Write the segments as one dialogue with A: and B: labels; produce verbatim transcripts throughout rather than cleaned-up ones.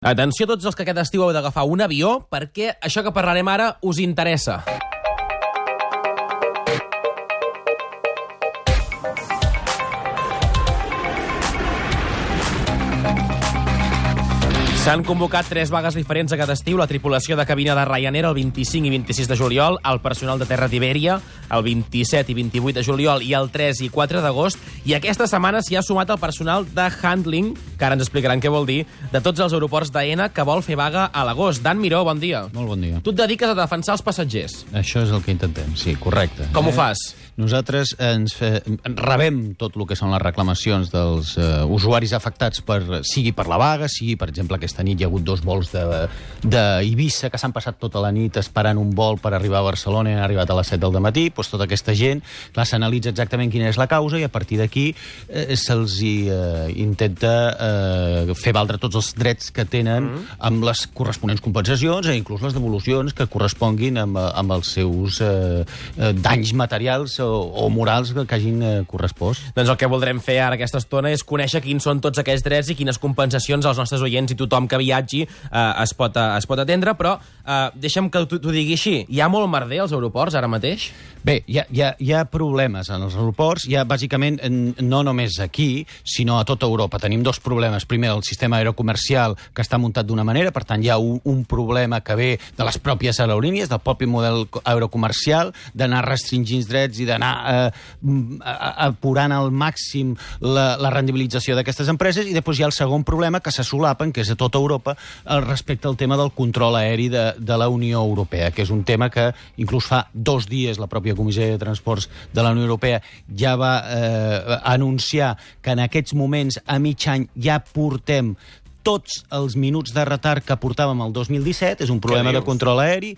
A: Atenció a tots els que aquest estiu heu d'agafar un avió, perquè això que parlarem ara us interessa. S'han convocat tres vagues diferents aquest estiu, la tripulació de cabina de Ryanair el vint-i-cinc i vint-i-sis de juliol, el personal de terra d'Iberia el vint-i-set i vint-i-vuit de juliol i el tres i quatre d'agost, i aquesta setmana s'hi ha sumat el personal de handling, que ara ens explicaran què vol dir, de tots els aeroports d'Aena que vol fer vaga a l'agost. Dan Miró, bon dia.
B: Molt bon dia.
A: Tu et dediques a defensar els passatgers.
B: Això és el que intentem, sí, correcte.
A: Com
B: eh?
A: ho fas?
B: Nosaltres ens fe... rebem tot el que són les reclamacions dels uh, usuaris afectats, per, sigui per la vaga, sigui, per exemple, aquesta nit hi ha hagut dos vols d'Eivissa que s'han passat tota la nit esperant un vol per arribar a Barcelona i han arribat a les set del dematí. Doncs tota aquesta gent, clar, s'analitza exactament quina és la causa i a partir d'aquí eh, se'ls eh, intenta eh, fer valdre tots els drets que tenen mm. amb les corresponents compensacions e inclús les devolucions que corresponguin amb, amb els seus eh, danys materials o, o morals que hagin eh, correspost.
A: Doncs el que voldrem fer ara aquesta estona és conèixer quins són tots aquests drets i quines compensacions als nostres oients i tothom que viatgi eh, es, pot, eh, es pot atendre, però eh, deixa'm que t'ho digui així. Hi ha molt merder als aeroports ara mateix?
B: Bé, hi ha, hi, ha, hi ha problemes en els aeroports, hi ha bàsicament no només aquí, sinó a tota Europa. Tenim dos problemes. Primer, el sistema aerocomercial, que està muntat d'una manera, per tant hi ha un, un problema que ve de les pròpies aerolínies, del propi model aerocomercial, d'anar restringint drets i d'anar eh, apurant al màxim la, la rendibilització d'aquestes empreses, i després hi ha el segon problema que se solapen, que és a tota Europa, respecte al tema del control aeri de, de la Unió Europea, que és un tema que inclús fa dos dies la pròpia Comissió de Transports de la Unió Europea ja va eh, anunciar que en aquests moments, a mig any, ja portem tots els minuts de retard que portàvem el dos mil disset, és un problema de control aeri,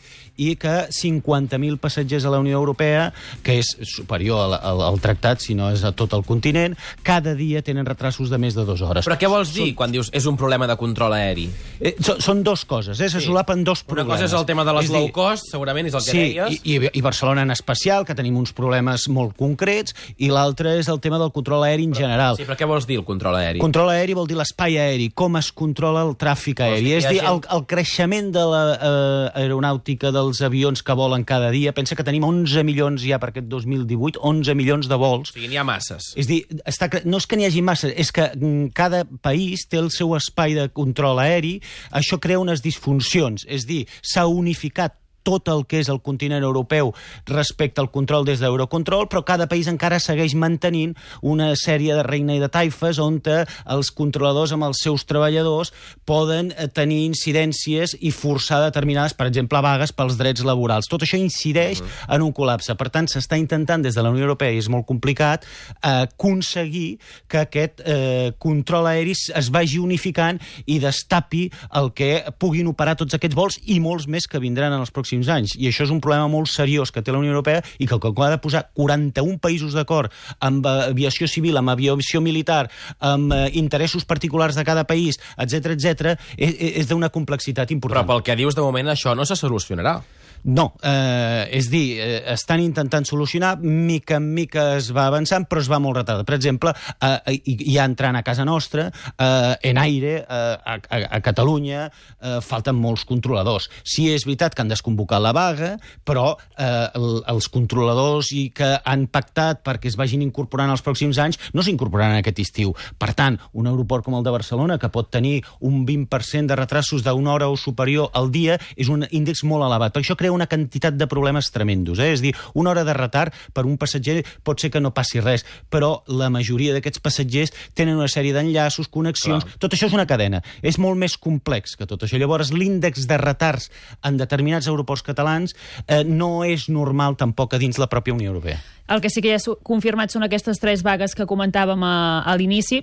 B: i que cinquanta mil passatgers a la Unió Europea, que és superior al, al, al tractat, si no és a tot el continent, cada dia tenen retrasos de més de dues hores.
A: Però què vols dir
B: són...
A: quan dius és un problema de control aeri?
B: Eh, són, són dos coses, eh? Se sí. solapen dos problemes.
A: Una cosa és el tema de les
B: és
A: low
B: dir...
A: cost, segurament és el que
B: sí,
A: deies.
B: I, i, i Barcelona en especial, que tenim uns problemes molt concrets, i l'altre és el tema del control aeri en
A: però,
B: general.
A: Sí, però què vols dir, el control aeri?
B: Control aeri vol dir l'espai aeri, com es controla el tràfic aeri. És dir, el, el creixement de l'aeronàutica eh, dels avions que volen cada dia. Pensa que tenim onze milions ja per aquest dos mil divuit, onze milions de vols.
A: O sigui, n'hi ha masses.
B: És dir, està, no és que n'hi hagi masses, és que cada país té el seu espai de control aeri. Això crea unes disfuncions. És dir, s'ha unificat tot el que és el continent europeu respecte al control des d'Eurocontrol, però cada país encara segueix mantenint una sèrie de reina i de taifes on els controladors amb els seus treballadors poden tenir incidències i forçar determinades, per exemple, vagues pels drets laborals. Tot això incideix uh-huh. en un col·lapse. Per tant, s'està intentant des de la Unió Europea, i és molt complicat, eh, aconseguir que aquest eh, control aeri es vagi unificant i destapi el que puguin operar tots aquests vols i molts més que vindran en els pròxims anys. I això és un problema molt seriós que té la Unió Europea i que ha de posar quaranta-un països d'acord amb aviació civil, amb aviació militar, amb eh, interessos particulars de cada país, etcètera, etcètera, és, és d'una complexitat important.
A: Però pel que dius de moment això no se solucionarà.
B: No, eh, és dir, eh, estan intentant solucionar, mica en mica es va avançant, però es va molt retard. Per exemple, eh, ja entrant a casa nostra, eh, en aire, eh, a, a, a Catalunya, eh, falten molts controladors. Sí, és veritat que han desconvocat la vaga, però eh, el, els controladors i que han pactat perquè es vagin incorporant els pròxims anys no s'incorporaran aquest estiu. Per tant, un aeroport com el de Barcelona, que pot tenir un vint per cent de retrasos d'una hora o superior al dia, és un índex molt elevat. Per això crea una quantitat de problemes tremendos. Eh? És dir, una hora de retard per un passatger pot ser que no passi res, però la majoria d'aquests passatgers tenen una sèrie d'enllaços, connexions... Clar. Tot això és una cadena. És molt més complex que tot això. Llavors, l'índex de retards en determinats aeroports catalans eh, no és normal tampoc a dins la pròpia Unió Europea.
C: El que sí que ja ha confirmat són aquestes tres vagues que comentàvem a, a l'inici.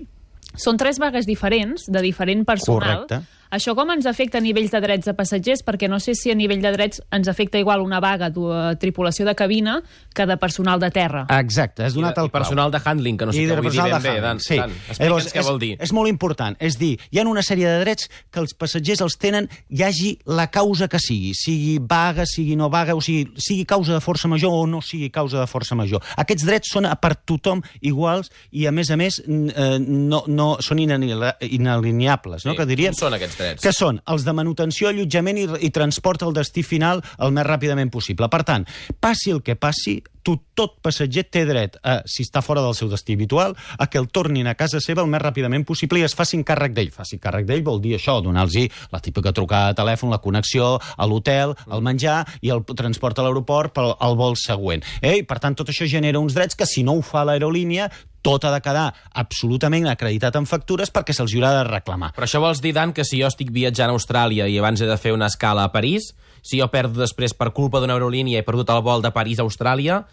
C: Són tres vagues diferents, de diferent personal.
B: Correcte.
C: Això com ens afecta a nivells de drets de passatgers? Perquè no sé si a nivell de drets ens afecta igual una vaga de tripulació de cabina que de personal de terra.
B: Exacte, has donat
A: I,
B: el
A: i personal de handling, que no sé què vull dir ben bé. Dan,
B: sí.
A: Dan, explica'ns què vol dir.
B: És molt important. És dir, hi ha una sèrie de drets que els passatgers els tenen, hi hagi la causa que sigui, sigui vaga, sigui no vaga, o sigui, sigui causa de força major o no sigui causa de força major. Aquests drets són per tothom iguals i, a més a més, no, no, són inalineables, no?
A: Sí.
B: Que diríem.
A: Són aquests drets?
B: Que són els de manutenció, allotjament i, i transport al destí final el més ràpidament possible. Per tant, passi el que passi, tu, tot passatger té dret, a, si està fora del seu destí habitual, a que el tornin a casa seva el més ràpidament possible i es facin càrrec d'ell. Faci càrrec d'ell vol dir això, donar-los la típica trucada de telèfon, la connexió a l'hotel, el menjar i el transport a l'aeroport pel al vol següent. Eh? I, per tant, tot això genera uns drets que, si no ho fa l'aerolínia, tot ha de quedar absolutament acreditat en factures perquè se'ls haurà de reclamar.
A: Però això vols dir, Dan, que si jo estic viatjant a Austràlia i abans he de fer una escala a París, si jo perdo després per culpa d'una aerolínia he perdut el vol de París a Austràlia,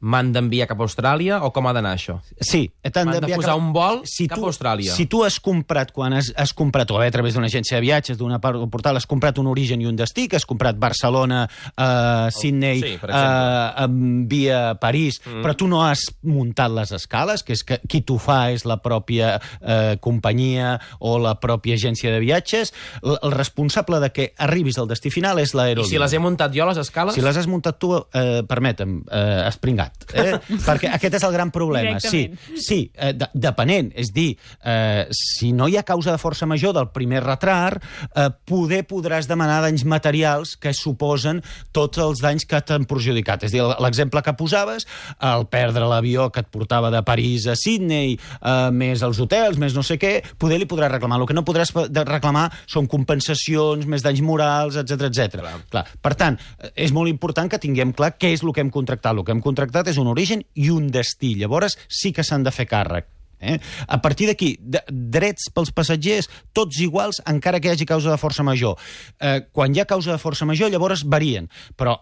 A: m'han d'enviar cap a Austràlia o com ha d'anar això?
B: Sí.
A: M'han de posar cap... un vol
B: si
A: cap
B: tu,
A: a Austràlia.
B: Si tu has comprat, quan has, has comprat, o bé a través d'una agència de viatges, d'una portal, has comprat un origen i un destí, que has comprat Barcelona, uh, Sydney,
A: sí,
B: uh, via París, mm. però tu no has muntat les escales, que és que qui t'ho fa és la pròpia uh, companyia o la pròpia agència de viatges, el, el responsable de que arribis al destí final és l'aerolínia.
A: I si les he muntat jo, les escales?
B: Si les has muntat tu, uh, permetem, uh, espringat. Eh? Perquè aquest és el gran problema. Sí, sí eh, de, depenent. És dir, eh, si no hi ha causa de força major del primer retard, eh, poder podràs demanar danys materials que suposen tots els danys que t'han perjudicat. És dir, l'exemple que posaves, el perdre l'avió que et portava de París a Sydney, eh, més els hotels, més no sé què, poder li podràs reclamar. El que no podràs reclamar són compensacions, més danys morals, etcètera, etcètera. Clar. Clar. Per tant, és molt important que tinguem clar què és el que hem contractat. El que hem contractat és un origen i un destí. Llavors sí que s'han de fer càrrec. Eh? A partir d'aquí, de, drets pels passatgers, tots iguals, encara que hi hagi causa de força major. Eh, quan hi ha causa de força major, llavors varien. Però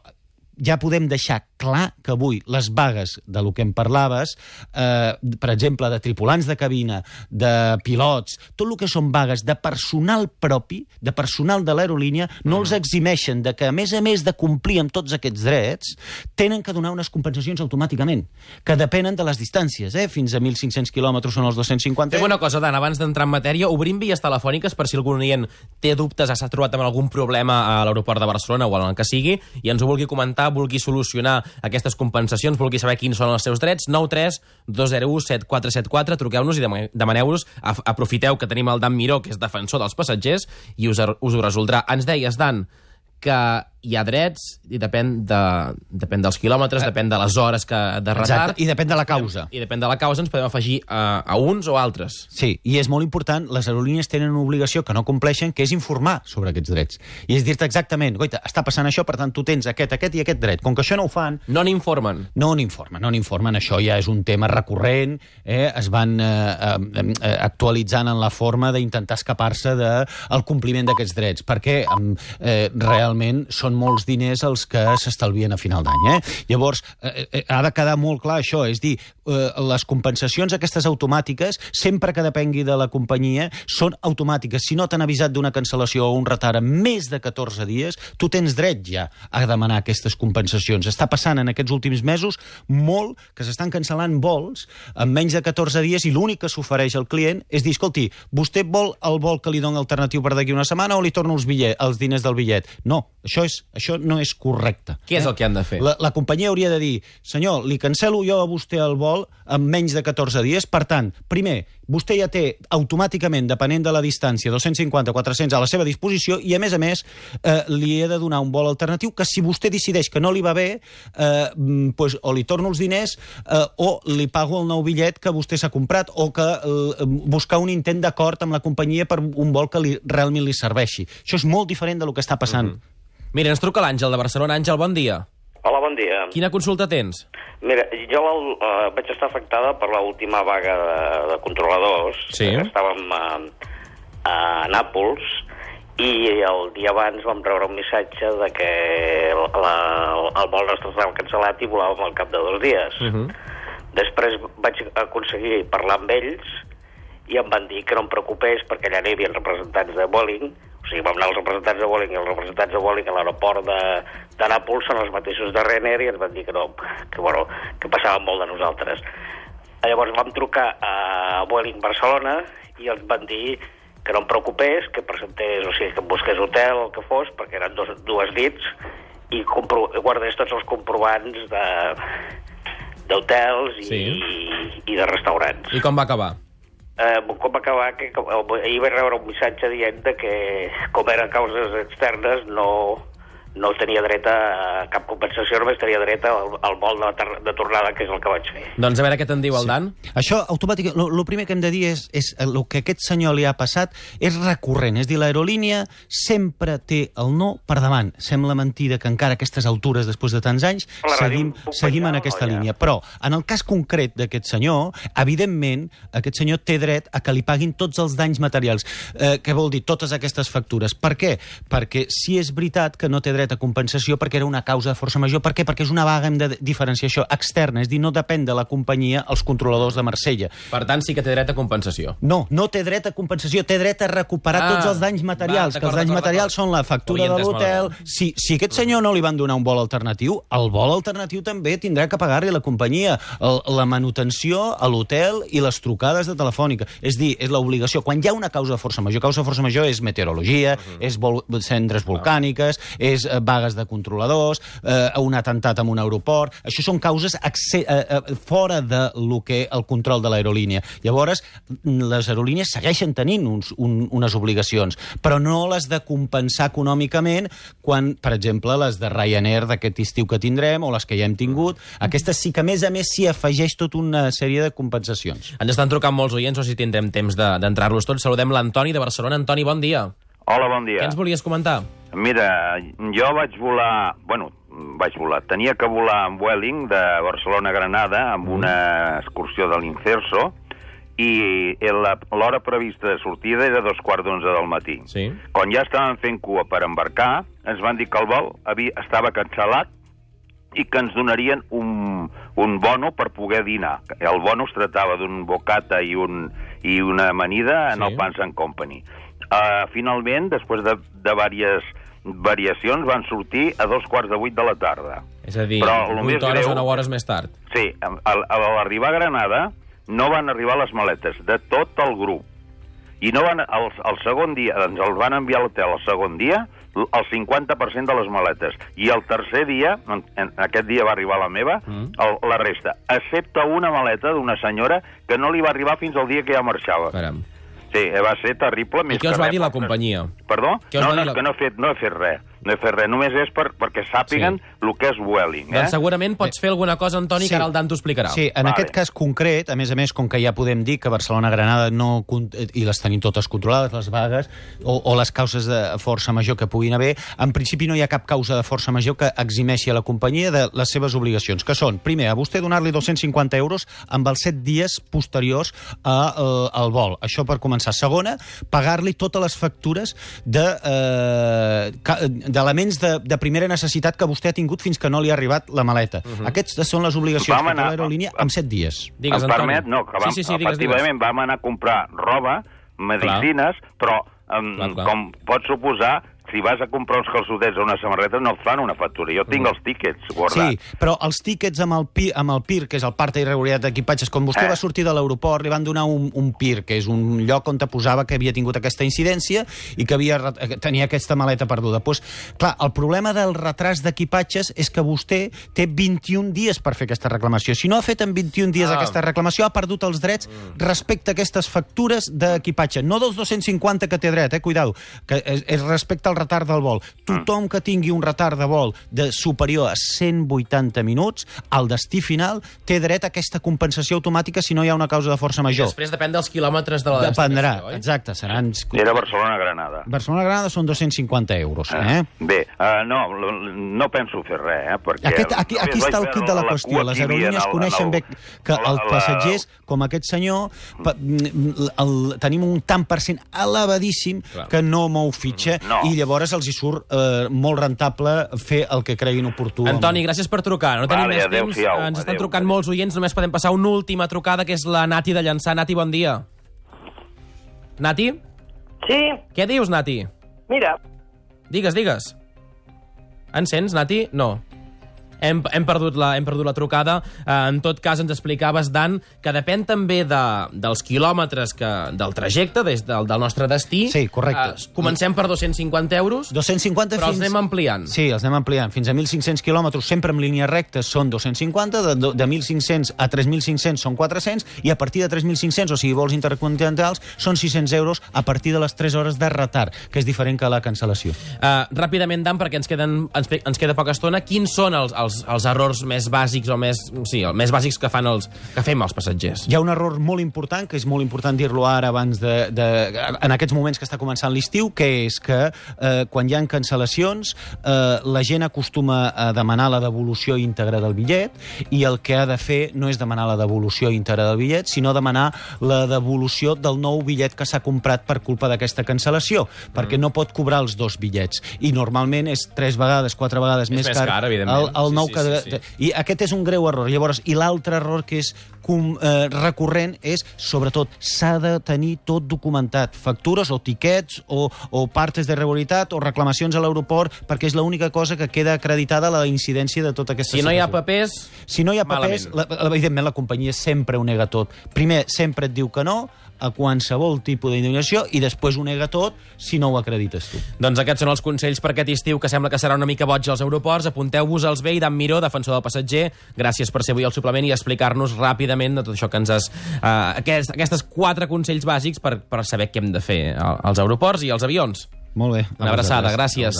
B: ja podem deixar clar que avui les vagues de lo que em parlaves, eh, per exemple, de tripulants de cabina, de pilots, tot el que són vagues de personal propi, de personal de l'aerolínia, no els eximeixen de que, a més a més de complir amb tots aquests drets, tenen que donar unes compensacions automàticament, que depenen de les distàncies, eh? Fins a mil cinc-cents quilòmetres són els dos-cents cinquanta.
A: Fem una cosa, Dan, abans d'entrar en matèria, obrim vies telefòniques per si algun oient té dubtes, s'ha trobat amb algun problema a l'aeroport de Barcelona o en el que sigui, i ens ho vulgui comentar, vulgui solucionar aquestes compensacions, vulgui saber quins són els seus drets, nou tres dos zero u set quatre set quatre, truqueu-nos i demaneu-nos, aprofiteu que tenim el Dan Miró, que és defensor dels passatgers, i us, us ho resoldrà. Ens deies, Dan, que hi ha drets i depèn, de, depèn dels quilòmetres, depèn de les hores que, de retard.
B: Exacte, i depèn de la causa.
A: I depèn de la causa ens podem afegir a, a uns o altres.
B: Sí, i és molt important, les aerolínies tenen una obligació que no compleixen, que és informar sobre aquests drets. I és dir-te exactament, goita, està passant això, per tant tu tens aquest, aquest i aquest dret. Com que això no ho fan...
A: No n'informen.
B: No n'informen, no n'informen. Això ja és un tema recurrent, eh? Es van eh, eh, actualitzant en la forma d'intentar escapar-se del compliment d'aquests drets, perquè eh, realment són molts diners els que s'estalvien a final d'any. Eh? Llavors, eh, eh, ha de quedar molt clar això, és dir, eh, les compensacions aquestes automàtiques, sempre que depengui de la companyia, són automàtiques. Si no t'han avisat d'una cancel·lació o un retard en més de catorze dies, tu tens dret ja a demanar aquestes compensacions. Està passant en aquests últims mesos molt que s'estan cancel·lant vols en menys de catorze dies i l'únic que s'ofereix al client és dir, escolti, vostè vol el vol que li doni alternatiu per d'aquí una setmana o li torno els, bitllet, els diners del bitllet? No, això, és, això no és correcte.
A: Què és el que han de fer?
B: La, la companyia hauria de dir, senyor, li cancel·lo jo a vostè el vol en menys de catorze dies, per tant, primer, vostè ja té automàticament, depenent de la distància, dos-cents cinquanta a quatre-cents a la seva disposició i, a més a més, eh, li he de donar un vol alternatiu que si vostè decideix que no li va bé, eh, pues, o li torno els diners eh, o li pago el nou bitllet que vostè s'ha comprat o que eh, buscar un intent d'acord amb la companyia per un vol que li, realment li serveixi. Això és molt diferent del que està passant.
A: Mm-hmm. Mira, ens truca l'Àngel de Barcelona. Àngel, bon dia.
D: Hola, bon dia.
A: Quina consulta tens?
D: Mira, jo uh, vaig estar afectada per l'última vaga de, de controladors.
A: Sí.
D: Que estàvem a, a Nàpols i el dia abans vam rebre un missatge de que el, la, el vol nostre estava cancel·lat i volàvem al cap de dos dies. Uh-huh. Després vaig aconseguir parlar amb ells i em van dir que no em preocupés perquè allà hi havia representants de Vueling. O sigui, vam anar els representants de Vueling i els representants de Vueling a l'aeroport de, de Nàpols són els mateixos de Ryanair i ens van dir que no, que, bueno, que passaven molt de nosaltres. Llavors vam trucar a Vueling Barcelona i ens van dir que no em preocupés, que presentés, o sigui, que em busqués hotel o el que fos, perquè eren dos, dues nits, i compro, guardés tots els comprovants de d'hotels i,
A: sí.
D: i, i de restaurants.
A: I com va acabar?
D: eh, com acabar, que com, ahir vaig rebre un missatge dient de que, com eren causes externes, no, no tenia dret a cap compensació, només tenia dret al, al vol de, de tornada, que és el que vaig fer.
A: Doncs a veure què te'n diu el Dan.
B: Sí. Això, automàticament, el primer que hem de dir és, és el que a aquest senyor li ha passat és recurrent. És dir, l'aerolínia sempre té el no per davant. Sembla mentida que encara a aquestes altures, després de tants anys, seguim, seguim en aquesta no, ja. línia. Però, en el cas concret d'aquest senyor, evidentment, aquest senyor té dret a que li paguin tots els danys materials. Eh, què vol dir? Totes aquestes factures. Per què? Perquè si és veritat que no té dret a compensació perquè era una causa de força major. Per què? Perquè és una vaga, hem de diferenciar això, externa, és dir, no depèn de la companyia els controladors de Marsella.
A: Per tant, sí que té dret a compensació.
B: No, no té dret a compensació, té dret a recuperar ah, tots els danys materials, va, que els danys materials són la factura de l'hotel. Si, si aquest senyor no li van donar un vol alternatiu, el vol alternatiu també tindrà que pagar-li la companyia, el, la manutenció a l'hotel i les trucades de telefònica. És dir, és l'obligació. Quan hi ha una causa de força major, causa de força major és meteorologia, uh -huh. és vol, cendres volcàniques, és vagues de controladors, eh, un atemptat en un aeroport. Això són causes eh, eh, fora de lo que el control de l'aerolínia. Llavors, les aerolínies segueixen tenint uns, un, unes obligacions, però no les de compensar econòmicament quan, per exemple, les de Ryanair d'aquest estiu que tindrem o les que ja hem tingut. Aquestes sí que, a més a més, s'hi afegeix tota una sèrie de compensacions.
A: Ens estan trucant molts oients, no sé si tindrem temps d'entrar-los tots. Saludem l'Antoni de Barcelona. Antoni, bon dia.
E: Hola, bon dia.
A: Què ens volies comentar?
E: Mira, jo vaig volar... Bueno, vaig volar. Tenia que volar amb Vueling de Barcelona a Granada amb una excursió de l'Incerso i l'hora prevista de sortida era dos quarts d'onze del matí.
A: Sí.
E: Quan ja estàvem fent cua per embarcar, ens van dir que el vol havia, estava cancel·lat i que ens donarien un, un bono per poder dinar. El bono es tractava d'un bocata i, un, i una amanida en sí. el Pans and Company. Uh, finalment, després de, de diverses variacions, van sortir a dos quarts de vuit de la tarda.
A: És a dir, vuit hores o nou hores més tard.
E: Sí, a, a l'arribar a Granada no van arribar les maletes de tot el grup. I no van, el, el segon dia, ens els van enviar a l'hotel el segon dia, el cinquanta per cent de les maletes. I el tercer dia, en, en, aquest dia va arribar la meva, mm. el, la resta, excepte una maleta d'una senyora que no li va arribar fins al dia que ja marxava.
A: Caram.
E: Sí, va ser terrible.
A: I què us va dir la companyia?
E: Perdó?
A: No,
E: no,
A: la...
E: que no he fet, no he fet res. No he fet res, només és per, perquè sàpiguen sí. el que és Vueling. Eh?
A: Doncs segurament pots fer alguna cosa, Antoni, sí. que ara el Dan t'ho explicarà.
B: Sí, en vale. aquest cas concret, a més a més, com que ja podem dir que Barcelona-Granada no, i les tenim totes controlades, les vagues, o, o les causes de força major que puguin haver, en principi no hi ha cap causa de força major que eximeixi a la companyia de les seves obligacions, que són, primer, a vostè donar-li dos-cents cinquanta euros amb els set dies posteriors a, uh, al vol. Això per començar. Segona, pagar-li totes les factures de... Uh, d'elements de, de primera necessitat que vostè ha tingut fins que no li ha arribat la maleta. Uh -huh. Aquestes són les obligacions que té l'aerolínia en set dies.
E: Digues, em permet? No, que vam, sí, sí, sí, efectivament digues, digues. vam anar a comprar roba, medicines, clar. però um, clar, clar. com pots suposar, si vas a comprar uns calçotets o una samarreta no et fan una factura. Jo tinc mm. els tíquets guardats.
B: Sí, però els tíquets amb el, P I, amb el P I R, que és el part d'irregularitat d'equipatges, quan vostè eh. va sortir de l'aeroport, li van donar un, un P I R, que és un lloc on te posava que havia tingut aquesta incidència i que havia, tenia aquesta maleta perduda. Pues, clar, el problema del retras d'equipatges és que vostè té vint-i-un dies per fer aquesta reclamació. Si no ha fet en vint-i-un dies ah. aquesta reclamació, ha perdut els drets mm. respecte a aquestes factures d'equipatge. No dels dos-cents cinquanta que té dret, eh, cuidado, que és, és respecte al retard del vol. Tothom que tingui un retard de vol de superior a cent vuitanta minuts, al destí final, té dret a aquesta compensació automàtica si no hi ha una causa de força major.
A: I després depèn dels quilòmetres de la
B: destinació,
A: oi?
B: Exacte, seran...
E: Era Barcelona-Granada.
B: Barcelona-Granada són dos-cents cinquanta euros, eh?
E: eh? Bé, uh, no, no penso fer res, eh? Perquè
B: aquest, aquí aquí està el kit de la, la qüestió. Les aerolínies coneixen bé que els passatgers, com aquest senyor, el, el, tenim un tant per cent elevadíssim Clar. que no mou fitxa
E: no.
B: i llavors els hi surt eh, molt rentable fer el que creguin oportú.
A: Antoni, gràcies per trucar. No tenim
E: vale,
A: més
E: adeu,
A: temps.
E: fiau,
A: Ens estan
E: adeu,
A: trucant
E: adeu.
A: molts oients. Només podem passar una última trucada, que és la Nati de Llançà. Nati, bon dia. Nati?
F: Sí.
A: Què dius, Nati?
F: Mira.
A: Digues, digues. Ens sents, Nati? No. hem, hem, perdut la, hem perdut la trucada. Eh, en tot cas, ens explicaves, Dan, que depèn també de, dels quilòmetres que, del trajecte des del, del nostre destí.
B: Sí, correcte.
A: Eh, comencem per dos-cents cinquanta euros,
B: dos-cents cinquanta
A: però
B: fins...
A: els anem ampliant.
B: Sí, els anem ampliant. Fins a mil cinc-cents quilòmetres, sempre en línies rectes, són dos-cents cinquanta, de, de mil cinc-cents a tres mil cinc-cents són quatre-cents, i a partir de tres mil cinc-cents, o sigui, vols intercontinentals, són sis-cents euros a partir de les tres hores de retard, que és diferent que la cancel·lació.
A: Uh, ràpidament, Dan, perquè ens, queden, ens, ens queda poca estona, quins són els, els, els errors més bàsics o més, sí, els més bàsics que, fan els, que fem els passatgers?
B: Hi ha un error molt important, que és molt important dir-lo ara abans de, de... en aquests moments que està començant l'estiu, que és que eh, quan hi ha cancel·lacions, eh, la gent acostuma a demanar la devolució íntegra del bitllet, i el que ha de fer no és demanar la devolució íntegra del bitllet, sinó demanar la devolució del nou bitllet que s'ha comprat per culpa d'aquesta cancel·lació, mm. perquè no pot cobrar els dos bitllets. I normalment és tres vegades, quatre vegades
A: és
B: més,
A: més
B: car,
A: car, evidentment.
B: el, el
A: sí,
B: nou
A: sí,
B: que...
A: sí, sí.
B: I aquest és un greu error. Llavors, i l'altre error que és com, eh, recurrent és, sobretot, s'ha de tenir tot documentat. Factures o tiquets o, o partes de regularitat o reclamacions a l'aeroport, perquè és l'única cosa que queda acreditada a la incidència de tota aquesta
A: Si
B: situació.
A: no hi ha papers,
B: Si no hi ha papers, la, evidentment la companyia sempre ho nega tot. Primer, sempre et diu que no a qualsevol tipus d'indemnització i després ho nega tot si no ho acredites tu.
A: doncs aquests són els consells per aquest estiu, que sembla que serà una mica boig als aeroports. Apunteu-vos-els bé. I Dan Miró, defensor del passatger, gràcies per ser avui al suplement i explicar-nos ràpidament de tot això que ens has... Uh, aquest, aquestes quatre consells bàsics per, per saber què hem de fer als aeroports i als avions.
B: Molt bé.
A: Una abraçada, gràcies.